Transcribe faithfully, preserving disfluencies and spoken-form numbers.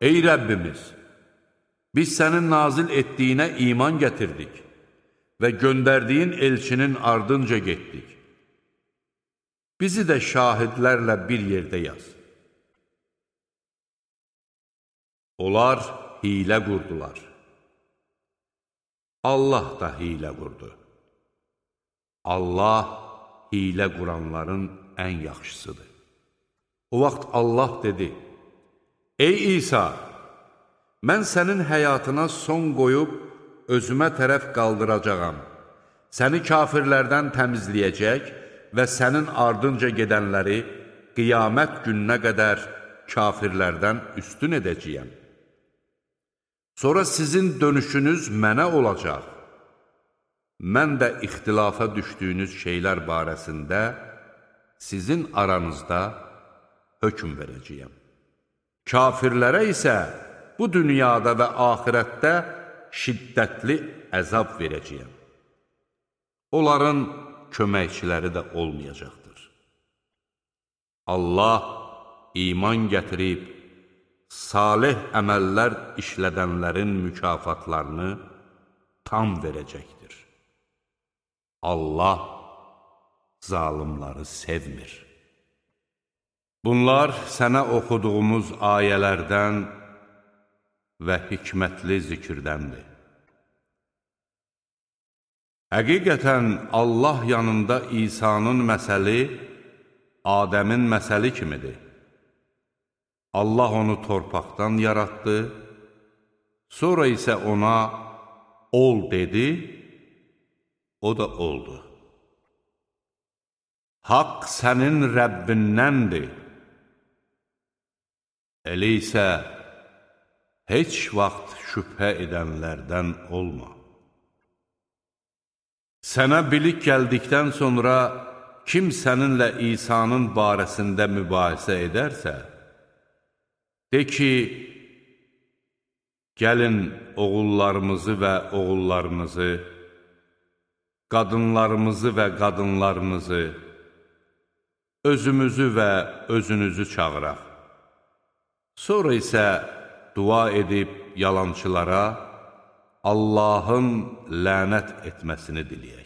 Ey Rəbbimiz, biz sənin nazil etdiyinə iman gətirdik və göndərdiyin elçinin ardınca getdik. Bizi də şahidlərlə bir yerdə yaz. Onlar hilə qurdular. Allah da hilə qurdu. Allah hilə quranların ən yaxşısıdır. O vaxt Allah dedi, Ey İsa, mən sənin həyatına son qoyub, özümə tərəf qaldıracağam. Səni kafirlərdən təmizləyəcək və sənin ardınca gedənləri qiyamət gününə qədər kafirlərdən üstün edəcəyəm. Sonra sizin dönüşünüz mənə olacaq. Mən də ixtilafa düşdüyünüz şeylər barəsində sizin aranızda hökm verəcəyəm. Kafirlərə isə bu dünyada və axirətdə şiddətli əzab verəcəyəm. Onların köməkçiləri də olmayacaqdır. Allah iman gətirib, salih əməllər işlədənlərin mükafatlarını tam verəcəkdir. Allah zalimları sevmir. Bunlar sənə oxuduğumuz ayələrdən və hikmətli zikirdəndir. Həqiqətən Allah yanında İsa'nın məsəli Adəmin məsəli kimidir. Allah onu torpaqdan yaratdı, sonra isə ona ol dedi, o da oldu. Haqq sənin Rəbbindəndir. Elə isə heç vaxt şübhə edənlərdən olma. Sənə bilik gəldikdən sonra kim səninlə İsa'nın barəsində mübahisə edərsə, de ki, gəlin oğullarımızı və oğullarınızı, qadınlarımızı və qadınlarınızı, özümüzü və özünüzü çağıraq. Sonra isə dua edib yalançılara Allahın lənət etməsini diləyək.